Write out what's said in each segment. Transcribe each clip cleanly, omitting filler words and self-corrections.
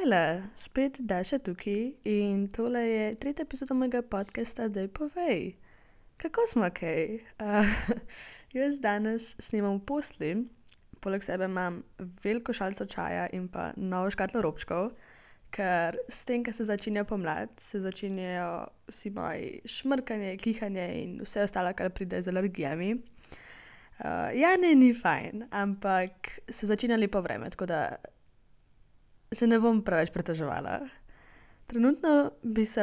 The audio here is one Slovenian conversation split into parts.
Hejla, spet Daša tukaj in tole je tretja epizoda mojega podcasta Daj povej. Kako smo kaj? Jaz danes snemam v posli, poleg sebe imam veliko šalico čaja in pa novo škatlo robčkov, ker s tem, ko se začenja pomlad, se začenjajo vsi moji šmrkanje, kihanje in vse ostalo, kar pride z alergijami. Ni fajn, ampak se začenja lepo vreme, tako da se ne bom preveč preteževala. Trenutno bi se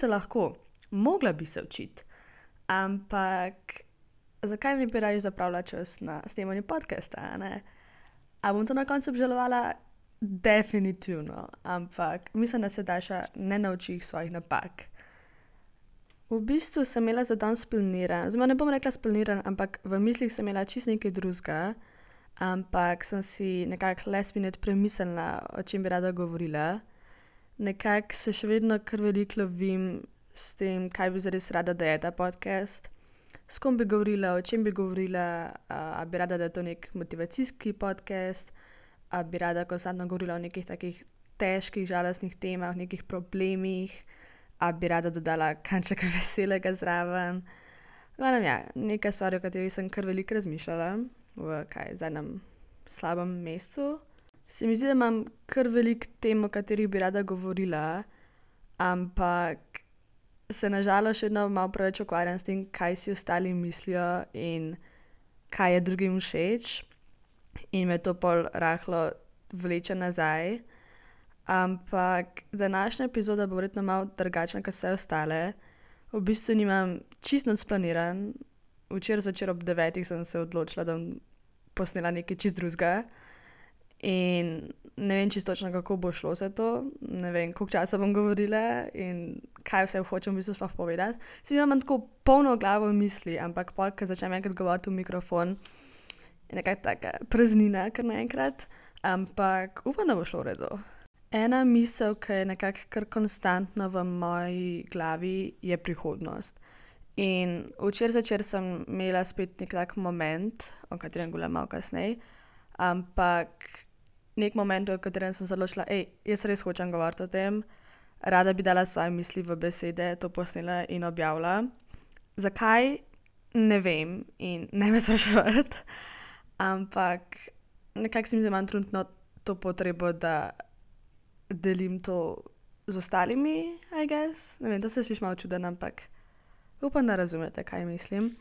lahko, mogla bi se učiti, ampak zakaj ne bi raje zapravila čas na snemanje podcasta, ne? A bom to na koncu obžalovala? Definitivno, ampak mislim, da se Daša ne nauči svojih napak. V bistvu sem imela za danes splaniran, oziroma ne bom rekla splaniran, ampak v mislih sem imela čisto nekaj drugega, ampak sem si nekako last minute premislila, o čem bi rada govorila. Nekako se še vedno kar veliko lovim s tem, kaj bi zares rada, da je ta podcast. S kom bi govorila, o čem bi govorila, a bi rada, da je to nek motivacijski podcast, a bi rada konstantno govorila o nekih takih težkih, žalostnih temah, nekih problemih, a bi rada dodala kanček veselega zraven. Nekaj stvari, o katerih sem kar veliko razmišljala v zadnjem slabem mesecu. Se mi zdi, da imam kar veliko tem, o katerih bi rada govorila, ampak se na žalost še vedno malo preveč ukvarjam s tem, kaj si ostali mislijo in kaj je drugim všeč. In me to pol rahlo vleče nazaj. Ampak današnja epizoda bo verjetno malo drugačna kot vse ostale. V bistvu nimam čisto nič splaniran. Včeraj zvečer ob 9 sem se odločila, da bom posnela nekaj čisto drugega. In ne vem čisto točno, kako bo šlo vse to. Ne vem, koliko časa bom govorila in kaj vse hočem v bistvu sploh povedati. Se mi imam tako polno glavo misli, ampak pol, ko začnem enkrat govoriti v mikrofon, je nekaj taka praznina kar naenkrat. Ampak upam, da bo šlo v redu. Ena misel, ki je nekako kar konstantna v moji glavi, je prihodnost. In včeraj zvečer sem imela spet nek tak moment, o katerem govorim malo kasneje, ampak nek moment, v katerem sem se odločila, jaz res hočem govoriti o tem, rada bi dala svoje misli v besede, to posnela in objavila. Zakaj? Ne vem in ne me spraševati, ampak nekako se mi zdi, da imam trenutno to potrebo, da delim to z ostalimi, I guess. Ne vem, to se sliši malo čudno, ampak upam, da razumete, kaj mislim.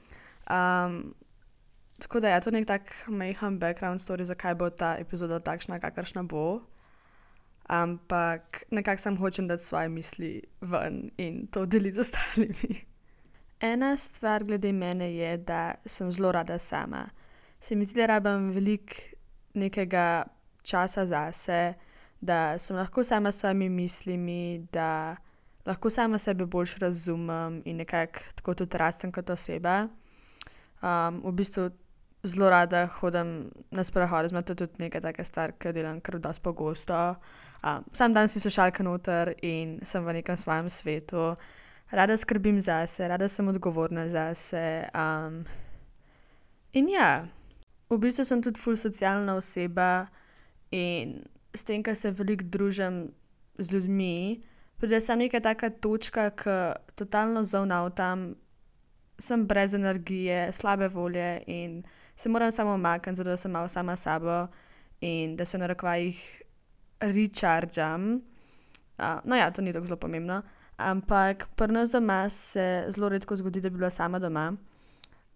Tako da to je nek tak majhen background story, zakaj bo ta epizoda takšna, kakršna bo. Ampak nekako sem hočem dati svoje misli ven in to deliti z ostalimi. Ena stvar glede mene je, da sem zelo rada sama. Se mi zdi, da rabim veliko nekega časa zase, da sem lahko sama s svojimi mislimi, da lahko sama sebe boljš razumem in nekako tako tudi rastem kot oseba. V bistvu zelo rada hodim na sprehode, to je tudi neka taka stvar, ki jo delam kar dosti pogosto. Sam dan si slušalka noter in sem v nekem svojem svetu. Rada skrbim zase, rada sem odgovorna zase. In v bistvu sem tudi ful socialna oseba in s tem, ko se veliko družim z ljudmi, pride samo neka taka točka, ko totalno zonautam, sem brez energije, slabe volje in se moram samo umakniti, zato da sem malo sama s sabo in da se v narekovajih rechargam. To ni tako zelo pomembno, ampak pri nas doma se zelo redko zgodi, da bi bila sama doma.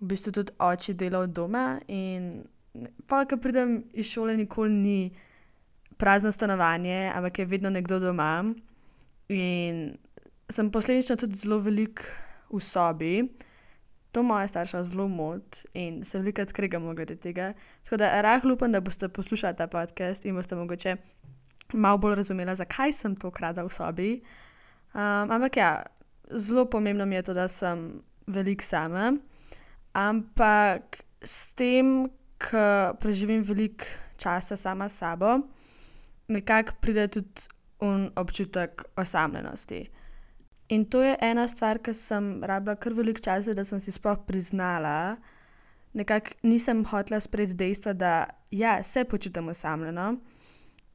V bistvu tudi oči dela od doma in pol, ko pridem iz šole, nikoli ni prazno stanovanje, ampak je vedno nekdo doma. In sem posledično tudi zelo veliko v sobi. To moja starša zelo moti in se velikokrat kregamo glede tega. Tako da rahlo upam, da boste poslušali ta podcast in boste mogoče malo bolj razumela, zakaj sem toliko rada v sobi. Ampak zelo pomembno mi je to, da sem veliko sama. Ampak s tem, ko preživim veliko časa sama s sabo, nekako pride tudi občutek osamljenosti. In to je ena stvar, ki sem rabila kar veliko časa, da sem si sploh priznala. Nekako nisem hotela sprejeti dejstva, da se počutim osamljeno.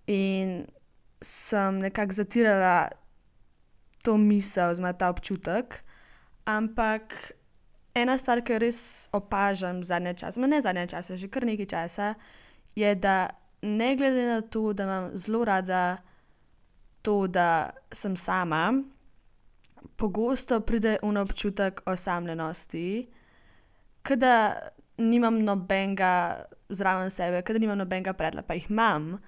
In sem nekako zatirala to misel, oziroma ta občutek, ampak ena stvar, ki jo res opažam zadnje čase, ne zadnje čase, že kar nekaj časa, je, da ne glede na to, da imam zelo rada to, da sem sama, pogosto pride občutek osamljenosti, ke da nimam nobenega zraven sebe, ke da nimam nobenega predla, pa jih imam,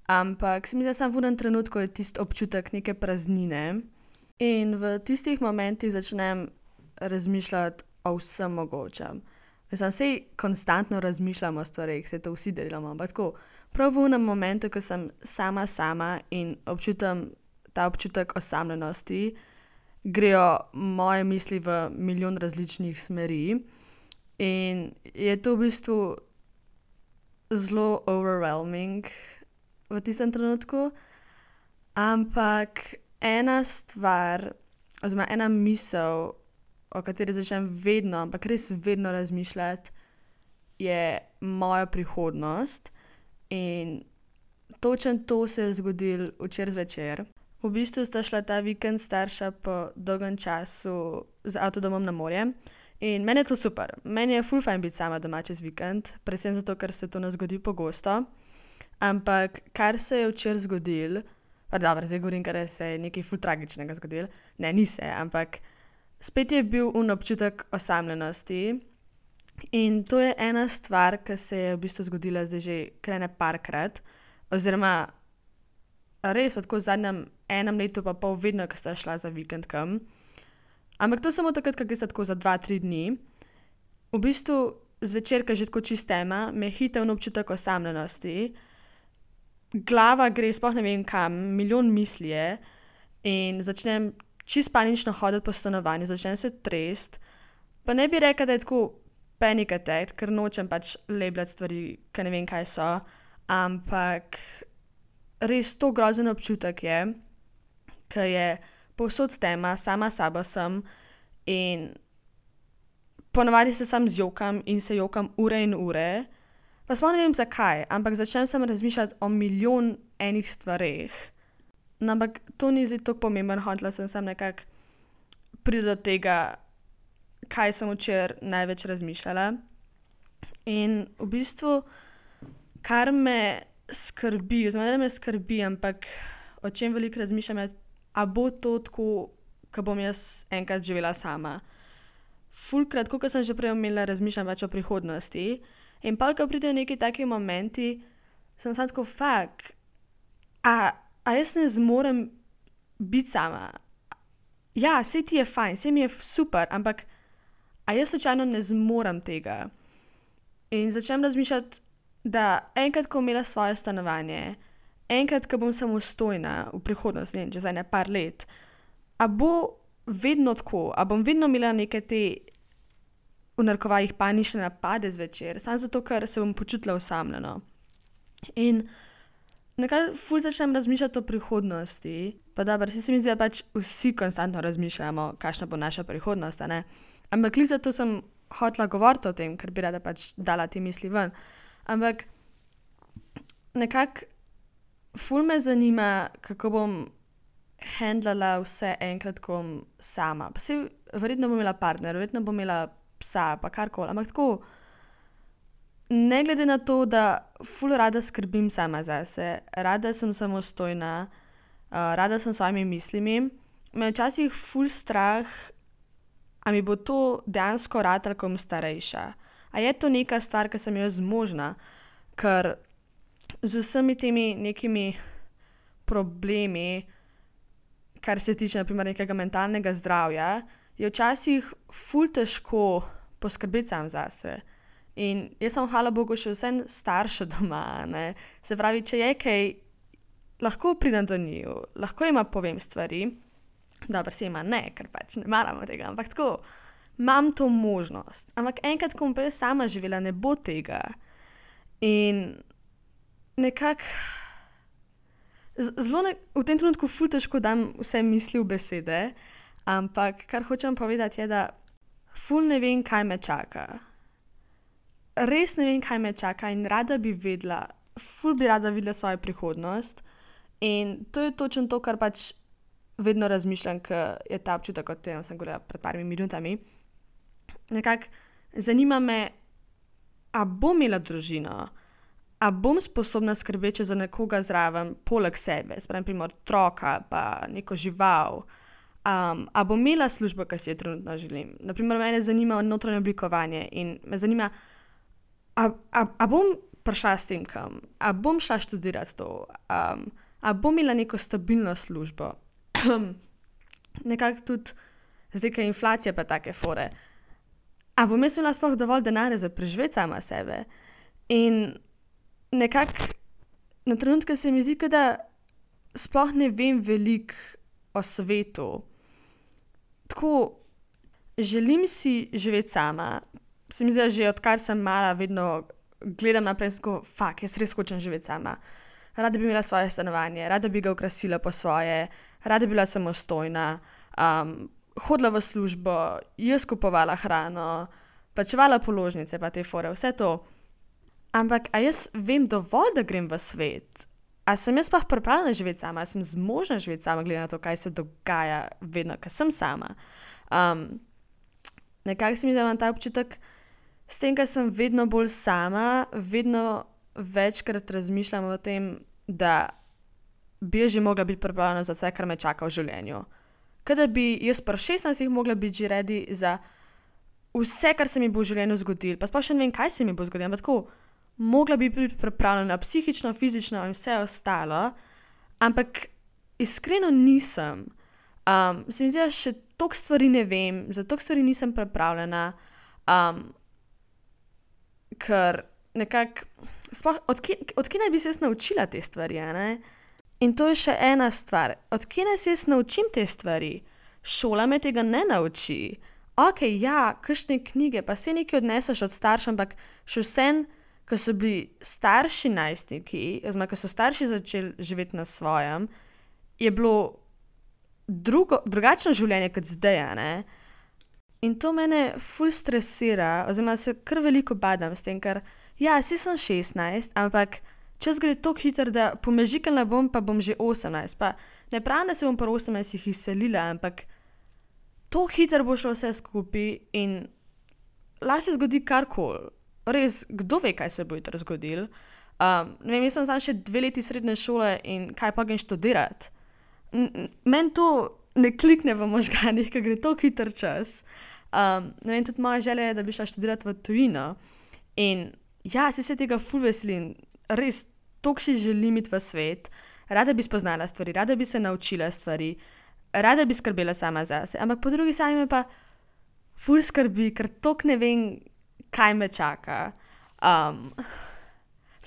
ampak se mi zdi, da samo v enem trenutku je tisti občutek neke praznine in v tistih momentih začnem razmišljati o vsem mogočem. Mislim, saj konstantno razmišljam o stvareh, saj to vsi delamo, ampak tako, prav v enem momentu, ko sem sama in občutam ta občutek osamljenosti, grejo moje misli v milijon različnih smeri in je to v bistvu zelo overwhelming v tistem trenutku, ampak ena stvar oziroma ena misel, o kateri začnem vedno, ampak res vedno razmišljati, je moja prihodnost in točno to se je zgodilo včeraj zvečer. V bistvu sta šla ta vikend starša po dolgem času z avtodomom na morje in meni je to super. Meni je ful fajn biti sama doma čez vikend, predvsem zato, ker se to ne zgodi pogosto. Ampak kar se je včeraj zgodilo, pa dobro, zdaj govorim, ker se je nekaj ful tragičnega zgodilo. Ne, ni se, ampak spet je bil občutek osamljenosti in to je ena stvar, ki se je v bistvu zgodila zdaj že kar ene parkrat, oziroma res tako v zadnjem enem letu pa pol vedno, ko sta šla za vikend kam. Ampak to samo takrat, ko sta tako za 2-3 dni. V bistvu zvečer, ko je že tako čist tema, me hita občutek osamljenosti, glava gre, sploh ne vem kam, milijon misli je in začnem čist panično hoditi po stanovanju, začnem se trest, pa ne bi rekla, da je tako panic attack, ker nočem pač labelati stvari, ki ne vem, kaj so, ampak res to grozen občutek je, ki je povsod tema, sama sabo sem in ponavadi se sam zjokam in se jokam ure in ure, pa sploh ne vem zakaj, ampak začnem sem razmišljati o milijon enih stvareh. No, ampak to ni zdaj tako pomembno, hotela sem samo nekako priti do tega, kaj sem včeraj največ razmišljala. In v bistvu, kar me skrbi, oziroma ne me skrbi, ampak o čem veliko razmišljam, je, a bo to tako, ko bom jaz enkrat živela sama. Fulkrat, kot sem že prej omenila, razmišljam več o prihodnosti in pa, ko pridejo neki taki momenti, sem samo tako, a jaz ne zmorem biti sama? Ja, saj ti je fajn, saj mi je super, ampak a jaz slučajno ne zmorem tega? In začnem razmišljati, da enkrat, ko bom imela svoje stanovanje, enkrat, ko bom samostojna v prihodnosti, ne vem, čez ene par let, a bo vedno tako, a bom vedno imela neke te v narekovajih panične napade zvečer, samo zato, ker se bom počutila osamljeno. In nekako ful začnem razmišljati o prihodnosti, pa dobro, se mi zdi, da pač vsi konstantno razmišljamo, kakšna bo naša prihodnost, a ne? Ampak glih zato sem hotela govoriti o tem, ker bi rada pač dala te misli ven. Ampak nekako ful me zanima, kako bom handlala vse enkrat, ko bom sama. Pa saj verjetno bom imela partner, verjetno bom imela psa, pa karkoli, ampak tako, ne glede na to, da ful rada skrbim sama zase, rada sem samostojna, rada sem s svojimi mislimi, me včasih ful strah, a mi bo to dejansko ratalo, ko bom starejša. A je to neka stvar, ki sem jo zmožna, ker z vsemi temi nekimi problemi, kar se tiče na primer nekega mentalnega zdravja, je včasih ful težko poskrbeti sam zase. In jaz sem hvala Bogu še vseeno starša doma, ne. Se pravi, če je kaj, lahko pridem do njiju, lahko jima povem stvari, dobro, se jima ne, ker pač ne maramo tega, ampak tako, imam to možnost. Ampak enkrat, ko bom pa jaz sama živela, ne bo tega. In nekako v tem trenutku ful težko dam vse misli v besede, ampak kar hočem povedati je, da ful ne vem, kaj me čaka. Res ne vem, kaj me čaka in rada bi vedela, ful bi rada videla svojo prihodnost In to je točno to, kar pač vedno razmišljam, ker je ta občutek, o katerem sem govorila pred parimi minutami. Nekako zanima me, a bom imela družino, a bom sposobna skrbeti za nekoga zraven, poleg sebe, sprem primer otroka, pa neko žival. A bom imela službo, ki si jo trenutno želim. Naprimer, mene zanima notranje oblikovanje in me zanima, a bom prišla s tem kam, a bom šla študirati to, a bom imela neko stabilno službo. Nekako tudi zdaj, ker je inflacija pa take fore. A bom jaz imela sploh dovolj denarja za preživeti sama sebe? In nekako na trenutke se mi zdi, da sploh ne vem veliko o svetu. Tako, želim si živeti sama. Se mi zdi, da že odkar sem mala, vedno gledam naprej in tako, jaz res hočem živeti sama. Rada bi imela svoje stanovanje, rada bi ga okrasila po svoje, rada bi bila samostojna, hodila v službo, jaz kupovala hrano, plačevala položnice pa te fore, vse to. Ampak a jaz vem dovolj, da grem v svet? A sem jaz pa pripravljena živeti sama? A sem zmožna živeti sama, glede na to, kaj se dogaja vedno, ko sem sama? Nekako se mi zdi, da imam ta občutek, s tem, ker sem vedno bolj sama, vedno večkrat razmišljam o tem, da bi že mogla biti pripravljena za vse, kar me čaka v življenju. Kaj da bi jaz pri 16 mogla biti že ready za vse, kar se mi bo v življenju zgodilo, pa sploh še ne vem, kaj se mi bo zgodilo, ampak tako, mogla bi biti pripravljena psihično, fizično in vse ostalo, ampak iskreno nisem. Se mi zdi, da še toliko stvari ne vem, za toliko stvari nisem pripravljena, ker nekako, sploh, odkje naj bi se jaz naučila te stvari, ne? In to je še ena stvar, odkje naj se jaz naučim te stvari? Šola me tega ne nauči. Okej, ja, kakšne knjige, pa saj nekaj odneseš od staršev, ampak še vsem, ko so bili starši najstniki, oziroma ko so starši začeli živeti na svojem, je bilo drugačno življenje kot zdaj, ne? In to mene ful stresira, oziroma se kar veliko badam s tem, ker ja, saj sem 16, ampak čas gre toliko hitro, da pomežikala bom, pa bom že 18. Pa ne pravim, da se bom pri 18 izselila, ampak toliko hitro bo šlo vse skupaj in lahko se zgodi karkoli. Res, kdo ve, kaj se bo jutri zgodilo. Ne vem, jaz sem samo še 2 leti srednje šole in kaj pa grem študirati. Meni to ne klikne v možganih, ker gre toliko hiter čas. Ne vem, tudi moja želja je, da bi šla študirati v tujino. In ja, se tega ful veselim. Res, toliko si želim iti v svet. Rada bi spoznala stvari, rada bi se naučila stvari, rada bi skrbela sama zase. Ampak po drugi strani me pa ful skrbi, ker toliko ne vem, kaj me čaka.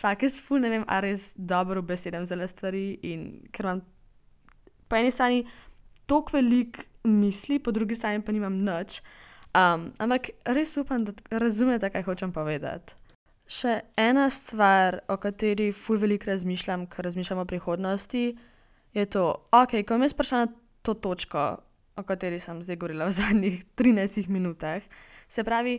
Jaz ful ne vem, a res dobro besedam zale stvari in ker imam po eni strani toliko veliko misli, po drugi strani pa nimam nič. Ampak res upam, da razumete, kaj hočem povedati. Še ena stvar, o kateri ful veliko razmišljam, ko razmišljam o prihodnosti, je to, okej, ko bom jaz prišla na to točko, o kateri sem zdaj govorila v zadnjih 13 minutah, se pravi,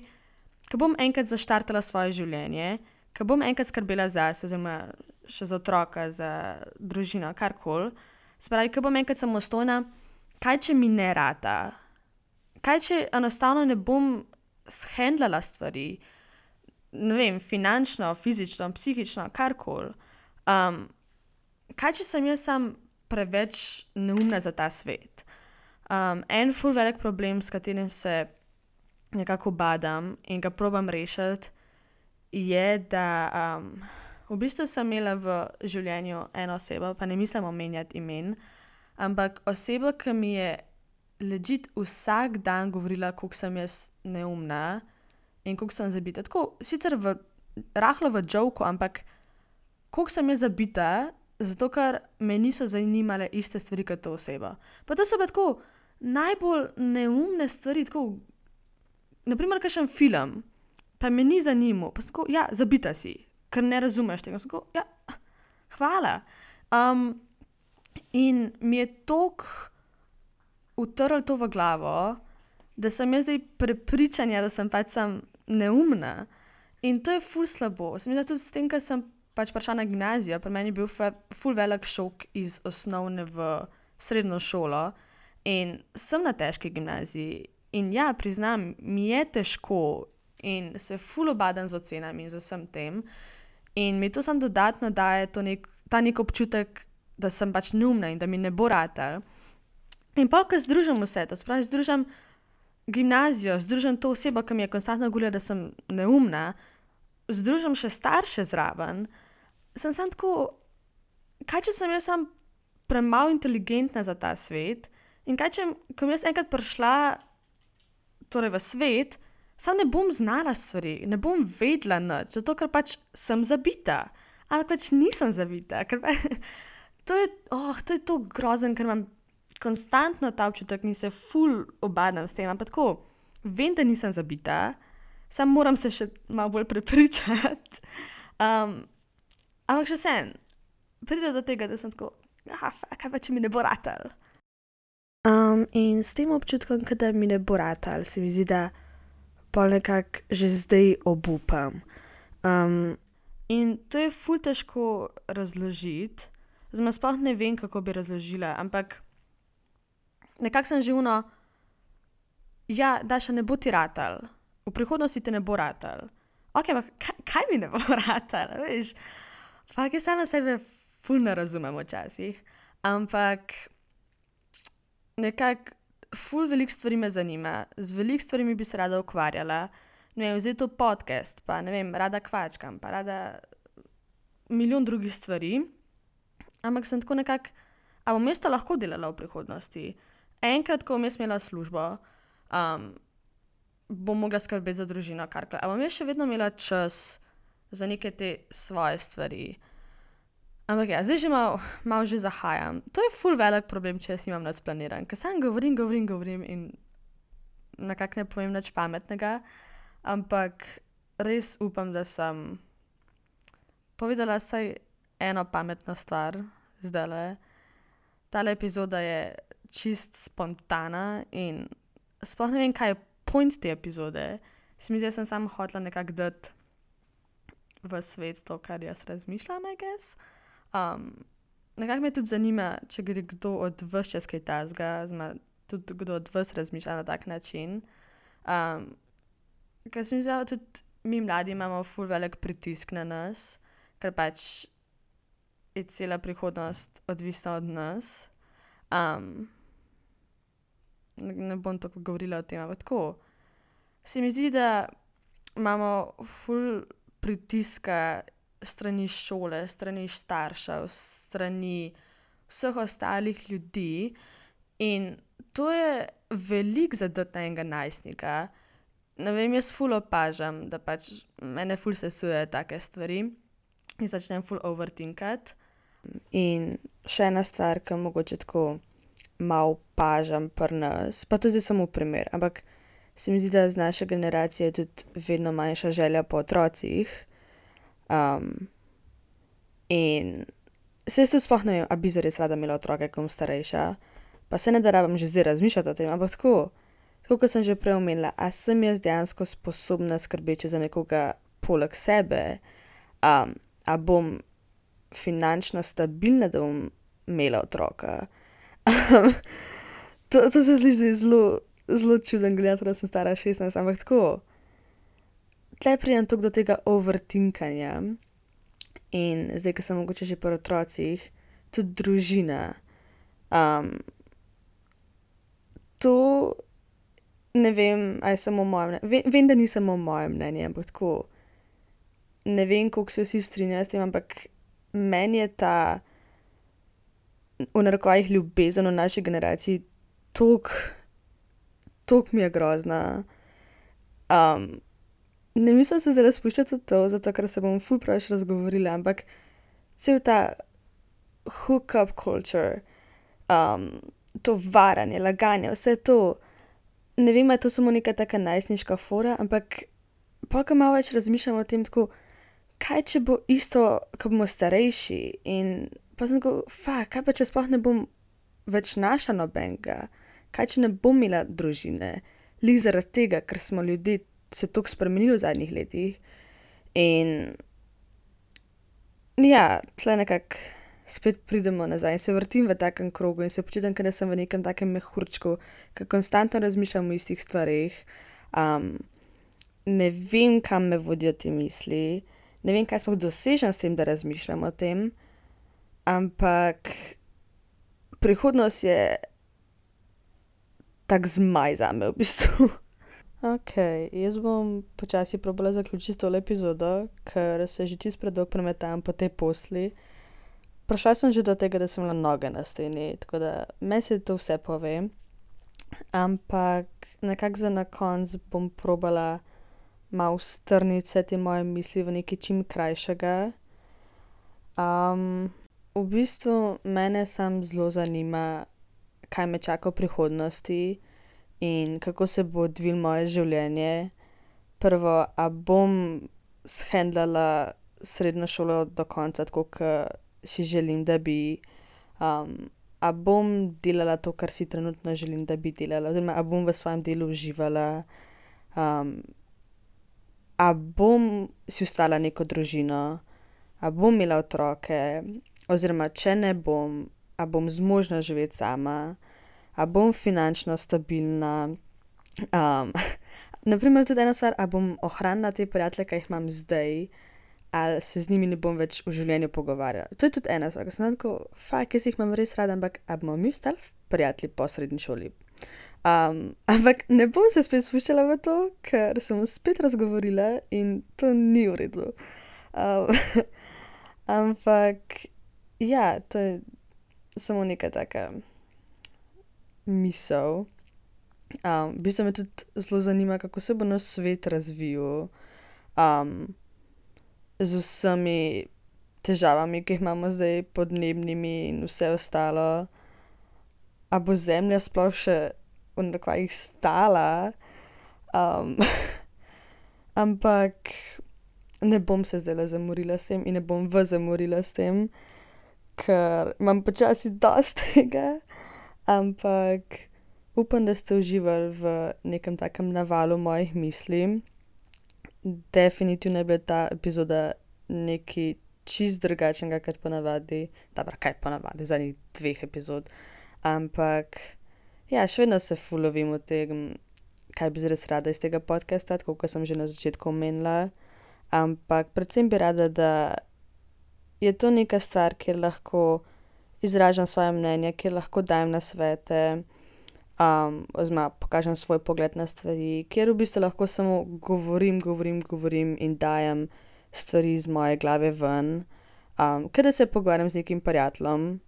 ko bom enkrat zaštartala svoje življenje, ko bom enkrat skrbela zase, oziroma še za otroka, za družino, karkoli, se pravi, ko bom enkrat samostojna, kaj če mi ne rata? Kaj če enostavno ne bom shendlala stvari? Ne vem, finančno, fizično, psihično, karkoli. Kaj če sem jaz sam preveč neumna za ta svet? En ful velik problem, s katerim se nekako badam in ga probam rešiti, je, da v bistvu sem imela v življenju eno osebo, pa ne mislim omenjati imen, ampak osebo, ki mi je legit vsak dan govorila, koliko sem jaz neumna in koliko sem zabita. Tako, sicer rahlo v joku, ampak koliko sem jaz zabita, zato ker me niso zanimale iste stvari kot to osebo. Pa to so pa tako najbolj neumne stvari, tako, naprimer, kakšen film, pa me ni zanimal, pa tako, ja, zabita si, ker ne razumeš tega. Tako, ja, hvala. In mi je toliko utrl to v glavo, da sem jaz zdaj prepričanja, da sem pač sam neumna. In to je ful slabo. Se mi zdi tudi s tem, ker sem pač prišla na gimnazijo, pri meni je bil ful velik šok iz osnovne v srednjo šolo in sem na težki gimnaziji in ja, priznam, mi je težko in se ful obadam z ocenami in z vsem tem in mi to samo dodatno daje ta nek občutek, da sem pač neumna in da mi ne bo ratal. In pa, ko združim vse to, spravi združim gimnazijo, združim to osebo, ki mi je konstantno govorila, da sem neumna, združim še starše zraven, sem samo tako, kaj če sem jaz sam premalo inteligentna za ta svet in kaj če, ko bom jaz enkrat prišla torej v svet, sam ne bom znala stvari, ne bom vedela nič, zato ker pač sem zabita. Ampak pač nisem zabita, ker to je to grozen, ker imam konstantno ta občutek in se ful obadam s tem, ampak tako, vem, da nisem zabita, sam moram se še malo bolj prepričati. Ampak še vsem, pride do tega, da sem tako, kaj pa če mi ne bo ratal. In s tem občutkom, da mi ne bo ratal, se mi zdi, da pol nekako že zdaj obupam. In to je ful težko razložiti, zdaj sploh ne vem, kako bi razložila, ampak nekako sem že ja, Daša, ne bo ti ratal, v prihodnosti ti ne bo ratal. Ok, ampak kaj mi ne bo ratal, veš? Fak, jaz sama sebe ful ne razumem včasih, ampak nekako ful veliko stvari me zanima, z veliko stvarimi bi se rada ukvarjala, ne vem, zdaj to podcast, pa ne vem, rada kvačkam, pa rada milijon drugih stvari, ampak sem tako nekako, a bom jaz to lahko delala v prihodnosti? Enkrat, ko bom jaz imela službo, bom mogla skrbeti za družino, karkoli. A bom jaz še vedno imela čas za neke te svoje stvari? Ampak ja, zdaj že malo že zahajam. To je ful velik problem, če jaz nimam nič planiran, ker sam govorim in nekako ne povem nič pametnega, ampak res upam, da sem povedala vsaj eno pametno stvar zdajle. Tale epizoda je čist spontana in sploh ne vem, kaj je point te epizode. Se mi zdi, da sem samo hotela nekako dati v svet to, kar jaz razmišljam, I guess. Nekako me tudi zanima, če gre kdo od vas čez kaj tazga, tudi kdo od vas razmišlja na tak način. Ker se mi zdi, da tudi mi mladi imamo ful velik pritisk na nas, ker pač je cela prihodnost odvisna od nas. Ne bom toliko govorila o tem, ampak tako. Se mi zdi, da imamo ful pritiska strani šole, strani staršev, strani vseh ostalih ljudi in to je veliko za dati na enega najstnika. Ne vem, jaz ful opažam, da pač mene ful sesuje take stvari in začnem ful overthinkati. In še ena stvar, ki mogoče tako malo opažam pri nas, pa to zdaj samo primer, ampak se mi zdi, da z naše generacije je tudi vedno manjša želja po otrocih. In se jaz tudi sploh ne vem, a bi zares rada imela otroke, ko bom starejša, pa se ne da rabim že zdaj razmišljati o tem, ampak tako kot sem že prej omenila, a sem jaz dejansko sposobna skrbeti za nekoga poleg sebe, a bom finančno stabilna, da bom imela otroka. To se sliši zelo čuden gledati, da sem stara 16, ampak tako. Tle pridem toliko do tega overthinkanja in zdaj, ko sem mogoče že pri otrocih, tudi družina. To ne vem, a je samo moje mnenje. Vem, da ni samo moje mnenje, ampak tako. Ne vem, koliko se vsi strinjajo s tem, ampak meni je ta v narekovajih ljubezen v naši generaciji toliko mi je grozna. Ne mislim se zdaj spuščati v to, zato ker se bom ful preveč razgovorila, ampak cel ta hookup culture, to varanje, laganje, vse to, ne vem, je to samo neka taka najstniška fora, ampak pol, ko malo več razmišljam o tem, tako, kaj če bo isto, ko bomo starejši in pa sem tako, kaj pa če sploh ne bom več našla nobenega, kaj če ne bom imela družine, lih zaradi tega, ker smo ljudje se toliko spremenili v zadnjih letih in Ja, tle nekako spet pridemo nazaj in se vrtim v takem krogu in se počutim, kot da sem v nekem takem mehurčku, ki konstantno razmišljam o istih stvareh. Um, ne vem, kam me vodijo te misli, ne vem, kaj sploh dosežem s tem, da razmišljam o tem, ampak prihodnost je tak zmaj zame v bistvu. Ok, jaz bom počasi probala zaključiti tole epizodo, ker se že čisto predolgo premetam po tej posli. Prišla sem že do tega, da sem imela noge na steni, tako da meni se to vse pove. Ampak nekako za na konec bom probala malo strniti vse te moje misli v nekaj čim krajšega. V bistvu mene sam zelo zanima, kaj me čaka v prihodnosti in kako se bo odvilo moje življenje. Prvo, a bom shendlala srednjo šolo do konca, tako kot si želim, da bi. A bom delala to, kar si trenutno želim, da bi delala, oziroma a bom v svojem delu uživala. A bom si ustvarila neko družino, a bom imela otroke, oziroma če ne bom, a bom zmožna živeti sama, a bom finančno stabilna. Naprimer tudi ena stvar, a bom ohranila te prijatelje, ki jih imam zdaj, ali se z njimi ne bom več v življenju pogovarjala. To je tudi ena stvar, ker sem tako, jaz jih imam res rada, ampak a bomo mi ostali prijatelji po srednji šoli. Ampak ne bom se spet spuščala v to, ker sem spet razgovorila in to ni v redu. Ampak ja, to je samo neka taka misel. V bistvu me tudi zelo zanima, kako se bo naš svet razvijal. Z vsemi težavami, ki jih imamo zdaj, podnebnimi in vse ostalo. A bo Zemlja sploh še v narekovajih stala? Ampak ne bom se zdajle zamorila s tem in ne bom vas zamorila s tem, ker imam počasi dosti tega. Ampak upam, da ste uživali v nekem takem navalu mojih misli. Definitivno je bila ta epizoda nekaj čist drugačnega kot ponavadi. Dobro, kaj ponavadi, zadnjih 2 epizod. Ampak ja, še vedno se ful lovim v tem, kaj bi res rada iz tega podcasta, tako kot sem že na začetku omenila. Ampak predvsem bi rada, da je to neka stvar, kjer lahko izražam svoje mnenje, kjer lahko dajem nasvete, oziroma pokažem svoj pogled na stvari, kjer v bistvu lahko samo govorim in dajem stvari iz moje glave ven. Kot da se pogovarjam z nekim prijateljem.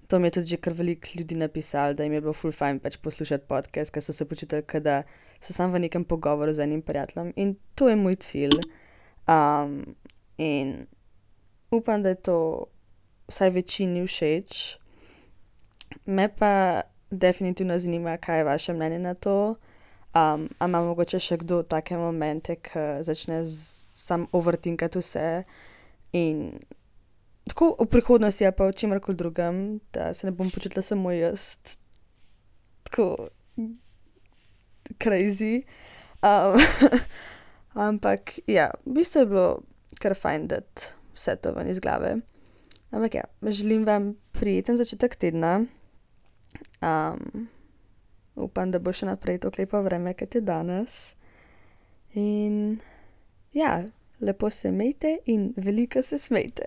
To mi je tudi že kar veliko ljudi napisalo, da jim je bilo ful fajn pač poslušati podcast, ker so se počutili, kot da so samo v nekem pogovoru z enim prijateljem. In to je moj cilj. In upam, da je to vsaj večini všeč. Me pa definitivno zanima, kaj je vaše mnenje na to. A ima mogoče še kdo take momente, ko začne sam overthinkati vse in tako v prihodnosti ali pa v čemerkoli drugem, da se ne bom počutila samo jaz tako crazy. Ampak ja, v bistvu je bilo kar fajn dati vse to ven iz glave. Ampak ja, želim vam prijeten začetek tedna. Upam, da bo še naprej tako lepo vreme, kot je danes. In ja, lepo se imejte in veliko se smejte.